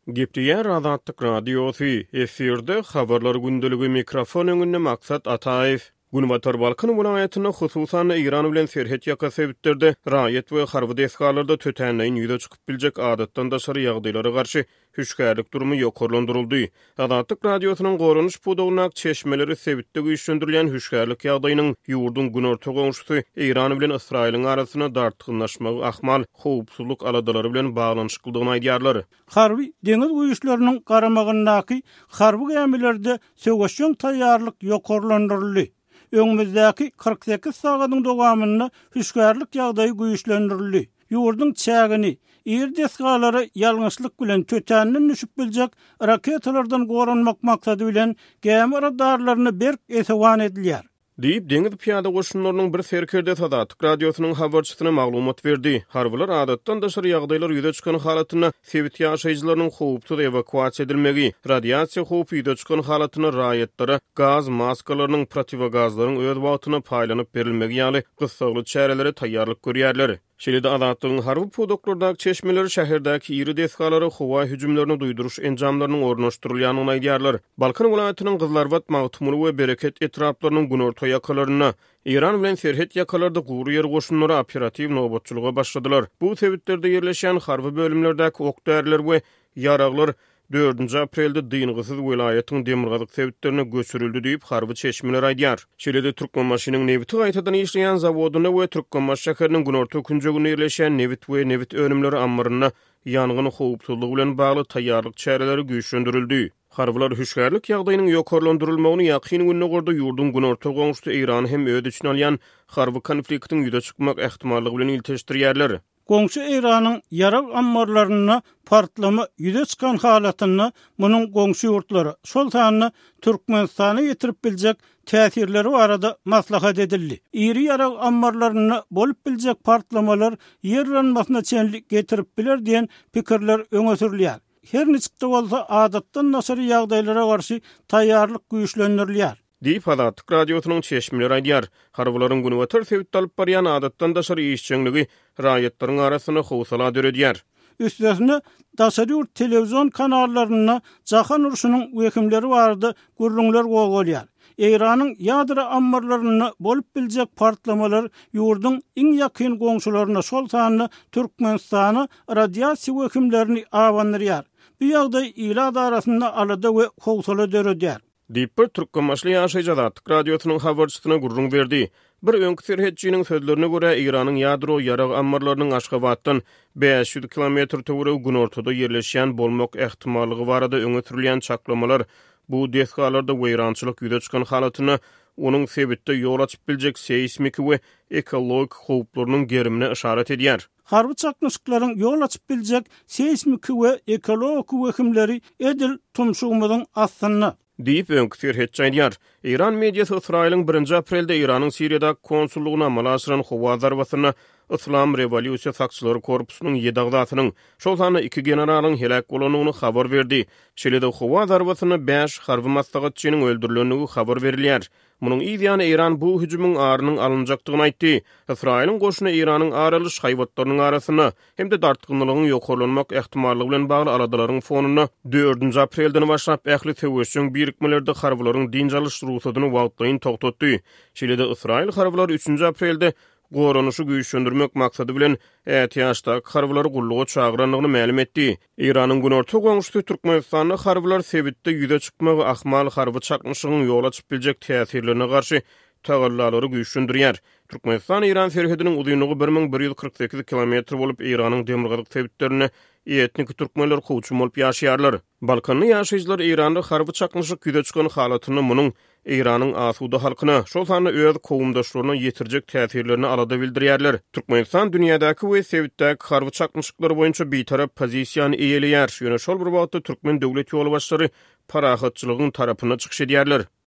Gepleýär Azatlyk Radiosy, efirde Habarlar gündeligi, mikrofon öňünde Maksat Ataýew. Günbatar Balkan welaýatynda, hususan-da Eýran bilen serhet ýaka sebitlerde raýat we harby desgalarda tötänleýin ýüze çykyp biljek adatdan daşary ýagdaýlara garşy hüşgärlik durumy ýokarlandyryldy. Azatlyk Radiosynyň goranyş pudagyndaky çeşmeleri sebitde güýçlendirilýän hüşgärlik ýagdaýynyň ýurduň günorta goňşusy Eýran bilen Ysraýylyň arasynda dartgynlaşmagy ahmal howpsuzlyk aladalary bilen baglanyşyklydygyny aýdýarlar. Harby deňiz güýçleriniň garamagyndaky harby gämilerde söweşjeň taýýarlyk ýokarlandyryldy. Öňümizdäki 48 sagadyň dowamynda hüşgärlik ýagdaýy güýçlendirildi. Ýurduň çägini, iri desgalary ýalňyşlyk bilen tötänden düşüp biljek raketalardan goranmak maksady bilen gämi radarlaryna berk esewan edilýär. Diýip, deňiz pyýada goşunlarynyň bir serkerdesi Azatlyk Radiosynyň habarçysyna maglumat berdi. Harbylar adatdan daşary ýagdaýlar ýüze çykan halatynda sebit ýaşaýjylarynyň howpsuz ewakuasiýa edilmegi, radiasiýa howpy ýüze çykan halatynda raýatlara gaz maskalarynyň, protiwogazlaryň öz wagtynda paýlanyp berilmegi ýaly gyssagly çärelere taýýarlyk görýärler. Şeýle-de Azatlygyň harby pudaklardaky çeşmeleri şäherdäki iri desgalara howa hüjümlerini duýduryş enjamlarynyň ornaşdyrylýandygyny aýdýarlar. Balkan welaýatynyň Gyzylarbat, Magtymguly we Bereket etraplarynyň günorta ýakalarynda, Eýran bilen serhet ýakalarda gury ýer goşunlary operatiw nobatçylyga başladylar. Bu sebitlerde ýerleşýän harby bölümlerdäki ok-däriler we ýaraglar Dördünji aprelde dyngysyz welaýatyň demirgazyk sebitlerine göçürildi diýip, harby çeşmeler aýdýar. Şeýle-de, Türkmenbaşynyň nebiti gaýtadan işleýän zawodynda we Türkmenbaşy şäheriniň günorta künjeginde ýerleşýän nebit we nebit önümleri ammarynda ýangyn howpsuzlygy bilen bagly taýýarlyk çäreleri güýçlendirildi. Harbylar hüşgärlik ýagdaýynyň ýokarlandyrylmagyny Ýakyn Gündogarda ýurduň günorta goňşusy Eýrany hem öz içine alýan harby konfliktiň ýüze çykmak ähtimallygy bilen ilteşdirýärler. Goňşy Eýranyň ýarag ammarlarynda partlama ýüze çykan halatynda munuň goňşy ýurtlara, şol sanda Türkmenistana ýetirip biljek täsirleri barada maslahat edildi. Iri ýarag ammarlarynda bolup biljek partlamalar ýer yranmasyna çenli getirip biler diýen pikirler öňe sürülýär. Her niçik-de bolsa, adatdan daşary ýagdaýlara garşy taýýarlyk güýçlendirilýär. Diýip, Azatlyk Radiosynyň çeşmeleri aýdýar. Harbylaryň günbatar sebitde alyp barýan adatdan daşary işjeňligi raýatlaryň arasynda howsala döredýär. Üstesine, daşary ýurt telewizion kanallarynda jahan urşunyň wehimleri barada gürrüňler gozgalýar. Eýranyň ýadro ammarlarynda bolup biljek partlamalar ýurduň iň ýakyn goňşularyna, şol sanda Türkmenistana radiasiýa wehimlerini abandyrýar. Bu ýagdaý ilat arasynda alada we howsala döredýär. Diýip, bir türkmenbaşyly ýaşaýjy Azatlyk Radiosynyň habarçysyna gürrüň berdi. Bir öňki serhetçiniň sözlerine görä, Eýranyň ýadro ýarag ammarlarynyň Aşgabatdan 500 kilometr töweregi günortada ýerleşýän bolmak ähtimallygy barada öňe sürülýän çaklamalar bu desgalarda weýrançylyk ýüze çykan halatynda onuň sebitde ýol açyp biljek seýsmiki we ekologik howplarynyň gerimine yşarat edýär. Harby çaknyşyklaryň ýol açyp biljek seýsmiki we ekologik wehimleri edil tumşugymyzyň astynda. Diýip, öňki serhetçi aýdýar. Eýran mediasy Ysraýylyň birinji aprelde Eýranyň Siriýadaky konsullygyna amala aşyran howa zarbasynda Yslam rewolýusiýa sakçylary korpusynyň ýedi agzasynyň, şol sanda iki generalyň heläk bolandygyny habar berdi. Şeýle-de howa zarbasynda bäş harby maslahatçynyň öldürilendigi habar berilýär. Munuň yz ýany Eýran bu hüjümiň arynyň alynjakdygyny aýtdy. Ysraýylyň goşuny Eýranyň ar alyş haýbatlarynyň arasynda hem-de dartgynlylygyň ýokarlanmak ähtimallygy bilen bagly aladalaryň fonunda dördünji aprelden başlap ähli söweşjeň birikmelerde harbylaryň dynç alyş rugsadyny wagtlaýyn togtatdy. Şeýle-de ysraýyl harbylary üçünji aprelde goranyşy güýçlendirmek maksady bilen ätiýaçdaky harbylary gulluga çagyrandygyny mälim etdi. Eýranyň günorta goňşusy Türkmenistanda harbylar sebitde ýüze çykmagy ahmal harby çaknyşygyň ýol açyp biljek täsirlerine garşy tagallalary güýçlendirýär. Türkmenistan-Eýran serhediniň uzynlygy 1148 kilometr bolup, Eýranyň demirgazyk sebitlerinde etniki türkmenler kowçum bolup ýaşaýarlar. Balkanly ýaşaýjylar Eýranda harby çaknyşyk ýüze çykan halatynda munuň Eýranyň asuda halkyna, şol sanda öz kowumdaşlaryna ýetirjek täsirlerine alada bildirýärler. Türkmenistan dünýädäki we sebitdäki harby çaknyşyklar boýunça bitarap pozisiýany eýeleýär, ýöne şol bir wagtda türkmen döwlet ýolbaşçylary parahatçylygyň tarapynda çykyş edýärler.